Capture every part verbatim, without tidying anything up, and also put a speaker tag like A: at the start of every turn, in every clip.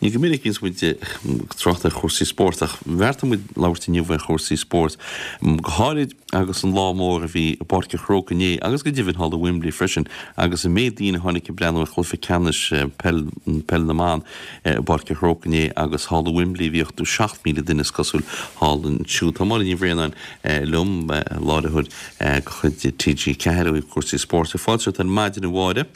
A: Ní go minic a bhíonns muid ag trácht ar chúrsaí spóirt ach bheartaigh muid labhairt inniu ar chúrsaí spóirt, go háirid agus an lá mór a bhí i bPáirc an Chrócaigh inné agus go deimhin thall i Wembley freisin agus an méid daoine a tháinig ag breathnú ar chluiche ceannais peil peil na mban i bPáirc an Chrócaigh inné agus thall i Wembley bhí ochtó seacht míle duine is cosúil thall ansiúd. Tá Máire Ní Bhraonáin liom, láithreoir de chuid T G ceathair ó thaobh cúrsaí spóirt. Fáilte romhat ar maidin a Mháire.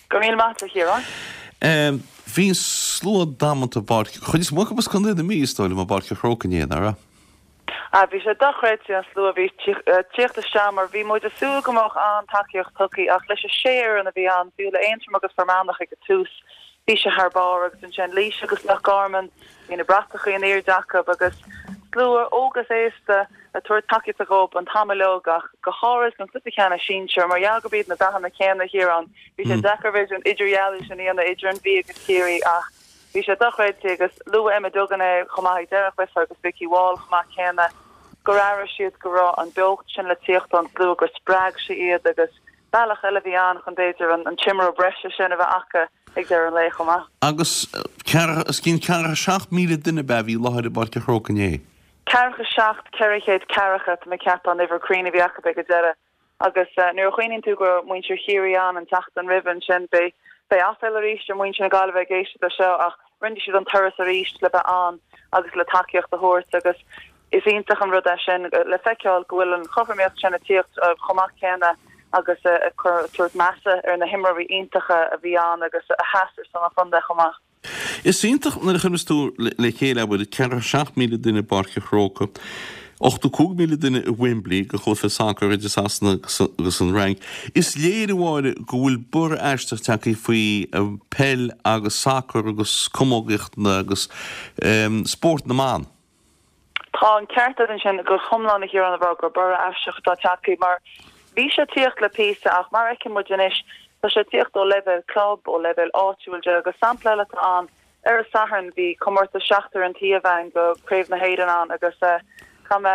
B: Go raibh míle maith agat, a Chiaráin.
A: Bhí slua damanta i bPáirc, chuid is mó acu as Contae na Mí, is dóigh liom, i bPáirc an Chrócaigh inné, nach raibh?
B: Ah, bhí sé dochreidte an slua a bhí ag tíocht isteach mar bhí muid ag súil go mbeadh an-tacaíocht tugtha ach leis an sé fhoireann a bhí ann, fiú le Aontroim agus Fear Manach ag an tús, bhí sé thar barr agus ansin Laois agus Loch Garman, bhí na bratacha in airde acu agus slua óg is aosta ag tabhairt tacaíochta dhób an t-am uilig ach go háirid don chluiche ceannais sinsir mar gheall gurb iad na dathanna céanna a Chiaráin. Bhí sé deacair b'fhéidir an idirdhealú sin a dhéanamh idir an Mhí agus Ciarraí ach bhí sé dochreidte agus luaigh Emma Duggan é chomh maith ag deireadh an chluiche agus Vikki Wall chomh maith céanna gur airigh siad go raibh an beocht sin le tíocht ón slua gur spreag sé iad agus bealach eile a bhí ann chun b'fhéidir an t-imreoir breise sin a bheith acu ag deireadh an lae chomh maith.
A: Agus os cionn ceathracha seacht míle duine ab ea a bhí i láthair i bPáirc an Chrócaigh inné?
B: Ceathracha seacht, ceithre chéad ceathracha, tá mé ag ceapadh an uimhir cruinn a bhí acu ag an deireadh. Agus nuair a chuimhníonn tú go raibh muintir Chiarraí ann an tseachtain roimhe ansin, beidh beidh aiféala arís ar mhuintir na Gaillimhe ag éisteacht leis seo ach rinne siad an turas arís le bheith ann agus le tacaíocht a thabhairt agus is iontach an rud é sin le feiceáil go bhfuil an chothromaíocht sin ag tíocht chomh maith céanna agus ag cur tabhairt measa ar na himreoirí iontacha a bhí ann agus a sheas ar son an chontae chomh maith.
A: Is iontach nuair a chuireanns tú le chéile, abair, ceathracha seacht míle duine i bPáirc an Chrócaigh, ochtó cúig míle duine i Wembley do chluiche sacair idir Sasana agus an Fhrainc. Is léir, a Mháire, go bhfuil borradh aisteach tagtha faoi peil agus sacar agus camógaíocht agus spórt na mban.
B: Tá an ceart agat ansin go hiomlán a Chiaráin a rá gur borradh aisteach atá tagtha mar bhí sé ag tíocht le píosa ach mar a fheiceann muid anois tá sé ag tíocht ó leibhéal club, ó leibhéal áitiúil de agus sampla eile atá ann ar an Satharn bhí comórtas seachtar an taobh ann do Craobh na hÉireann ann agus caithfidh mé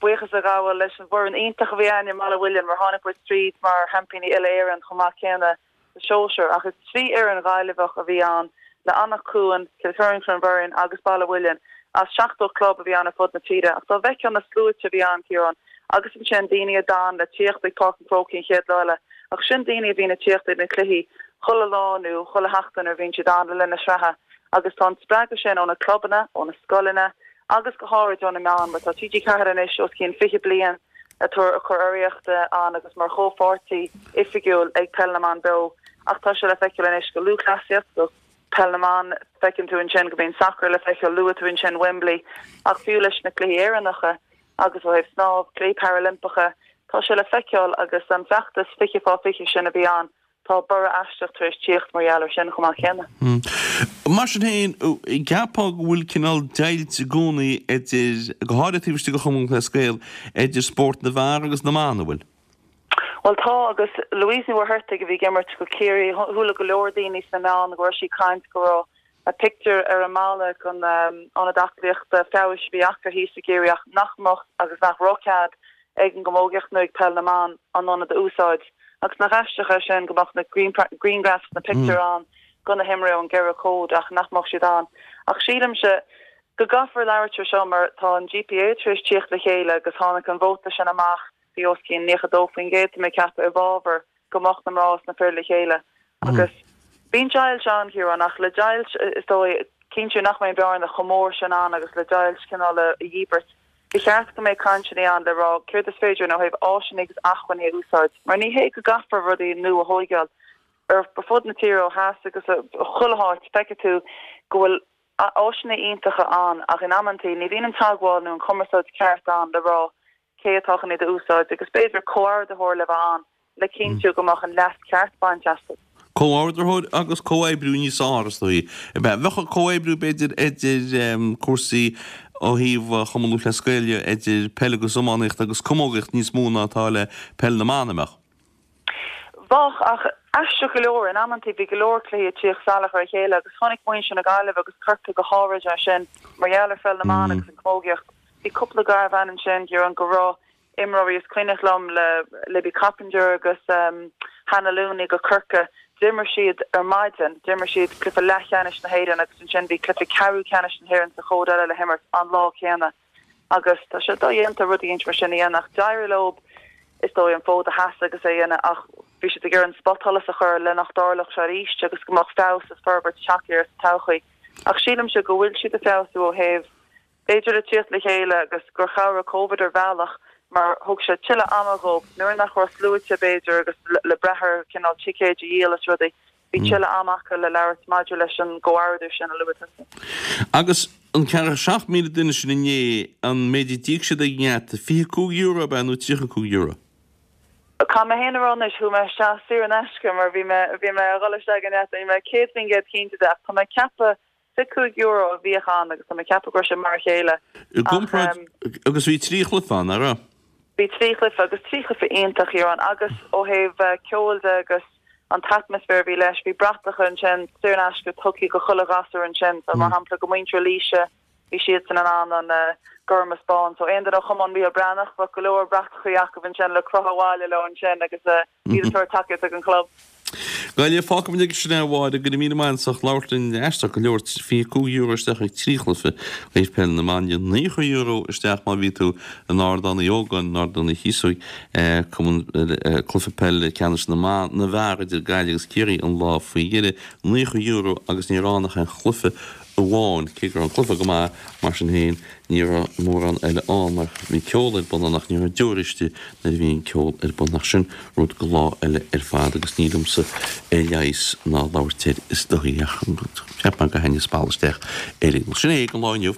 B: buíochas a ghabháil leis an bhfoireann iontach a bhí againn i mBaile Mhuilinn mar tháinig muid tríd mar sheaimpíní uile-Éireann chomh maith céanna sa sóisear ach is trí fhoireann Ghaillimheach a bhí ann le Anach Cuain, Kilkerrin Clonberne agus Baile Mhuilinn as seachtó club a bhí ann ar fud na tíre ach dá bhfeicfeá na sluaite a bhí ann, Ciarán, agus ansin daoine a d'fhan le tíocht ag Páirc an Chrócaigh an chéad lá eile ach sin daoine a bhíonn ag tíocht ag na cluichí chuile lá nó chuile sheachtain nuair a bhíonn siad ann le linn na sraithe agus tá an spreagadh sin ó na clubanna, ó na scoileanna agus go háirid ó na meáin mar tá T G ceathair anois os cionn fiche bliain ag tabhairt ag cur urraíochta ann agus mar chomhpháirtí oifigiúil ag Peil na mBan Beo ach tá sé le feiceáil anois go lúthchleasaíocht, go Peil na mBan, feiceann tú ansin go mbíonn sacar le feiceáil, luaigh tú ansin Wembley ach fiú leis na cluichí Éireannacha agus ó thaobh snámh, cluichí Parailimpeacha, tá sé le feiceáil agus an feachtas fiche fá fiche sin a bhí ann, tá borradh aisteach tar éis tíocht mar gheall ar sin chomh maith céanna.
A: Mar sin féin, cheapfá go bhfuil cineál deighilt i gcónaí idir, go háirithe taobh istigh de Chumann Lúthchleas Gael, idir spórt na bhfear agus na mban, an bhfuil?
B: Bhuel tá, agus Louise Ní Mhuircheartaigh a bhí ag imirt go Ciarraí, chuala go leor daoine sna meáin go raibh sí ag caint go raibh a pictiúr ar an mballa den ionad aclaíochta feabhais a bhí acu thíos i gCiarraí ach nach mbeadh agus nach raibh cead ag an gcamógaíocht nó ag peil na mban an ionad a úsáid. Agus nach aisteach é sin go mbeadh na grianghraif na pictiúir ann go na himreoirí ón gceithre cód ach nach mbeadh siad ann. Ach sílimse go gcaithfear labhairt ar seo mar tá an G P A tar éis tíocht le chéile agus tháinig an vóta sin amach bhí os cionn nócha dó faoin gcéad tá mé ag ceapadh i bhfabhar go mbeadh na mná is na fir le chéile. Agus bíonn deighilt ann, Ciarán, ach le deighilt is dóigh, cinntiú nach mbeidh an bearna chomh mór sin ann agus le deighilt cineál a dhíbirt, ba cheart go mbeadh cainteanna ann le rá céard is féidir ó thaobh áiseanna agus acmhainní a úsáid, mar ní hé go gcaithfear rudaí nua a thóigeáil. Ar fud na tíre ó theas agus chuile háit, feicfidh tú go bhfuil áiseanna iontacha ann ach in amantaí ní bhíonn an teagmháil nó an chumarsáid ceart ann le rá cé atá chun iad a úsáid agus b'fhéidir comhordaitheoir le bheith ann le cinntiú go mbeadh an leas ceart bainte astu.
A: Comhordaitheoir agus comhoibriú níos fearr, is dóigh. Bheadh comhoibriú, b'fhéidir, idir cúrsaí ó thaobh Chumann Lúthchleas Gael de, idir peil agus iománaíocht agus camógaíocht níos mó ná atá le peil na mban, an mbeadh?
B: Bheadh, ach aisteach go leor, in amantaí bhí go leor cluichí ag tíocht salach ar a chéile agus chonaic muintir na Gaillimhe agus Corcaigh go háirid é sin mar gheall ar pheil na mban agus an chamógaíocht. Bhí cúpla garbhán ansin, Ciarán, go raibh imreoirí is cuimhneach liom le Libby Coppinger agus Hannah Looney go Corcaigh. D'imir siad ar maidin, d'imir siad cluiche leathcheannais na hÉireann agus ansin bhí cluiche ceathrú ceannais na hÉireann sa chód eile le himirt an lá céanna. Agus tá sé dodhéanta rud éigin mar sin a dhéanamh ach d'éirigh leo is dóigh an fód a sheasamh agus é a dhéanamh ach bhí siad ag iarraidh an spotsholas a chur le nach dtarlódh sé arís agus go mbeadh feabhas is forbairt tagtha air sa todhchaí. Ach sílimse go bhfuil siad ag feabhsú ó thaobh b'fhéidir le tíocht le chéile agus gur chabhraigh Covid ar bhealach mar thug sé tuilleadh ama dhóibh nuair nach raibh sluaite b'fhéidir agus le brath ar cineál ticéid a dhíol is rudaí, bhí tuilleadh ama acu le labhairt maidir leis an gcomhordú sin a luaigh tusa.
A: Agus an ceathracha seacht míle duine sin inné, an méid a d'íoc siad ag an ngeata, fiche cúig euro ab ea nó tríocha cúig euro?
B: Caithfidh mé féin a rá anois, chuaigh mé isteach saor in aisce mar bhí mé bhí mé a dhul isteach ag an ngeata, níl mé céad faoin gcéad cinnte de ach tá mé ag ceapadh fiche cúig euro a bhíodh ann agus tá mé ag ceapadh go raibh sé mar a chéile.
A: I gcomparáid, agus bhí trí chluiche ann, nach raibh?
B: Bhí trí chluiche agus trí chluiche iontach a Chiaráin agus ó thaobh ceoil de agus an t-atmaisféar a bhí leis, bhí bratacha ansin saor in aisce tugtha go chuile ghasúr ansin, so mar shampla go muintir Laoise, bhí siadsan in ann an gorm is bán, so aon duine ó Chumann Mícheál Breathnach, bheadh go leor bratachaí acu ansin le crochadh abhaile leo ansin agus iad ag tabhairt tacaíocht don chlub.
A: Gaillimh, Fágfaidh muid aige sin é a Mháire, go raibh míle maith agat as labhairt linn aisteach go leor, fiche cúig euro isteach ag trí chluiche ó thaobh peil na mban de, naocha euro isteach má bhí tú in Ardán Uí Ógáin, in Ardán Uí Chíosóig, cumann cluiche peile ceannais na mban, na bhfear idir Gaillimh agus Ciarraí an lá faoi dheireadh, naocha euro agus ní raibh ann ach aon chluiche amháin, cé go raibh an cluiche go maith, mar sin féin, ní raibh mórán eile ann mar bhí ceol ar bun ann ach ní raibh deoir istigh nuair a bhí an ceol ar bun ach sin rud go lá eile ar fad agus ní liomsa é a leigheas ná labhairt air is dóigh ach cheap mé gur thaitnigh spalla isteach ar aon nós. Sin é don lá inniu.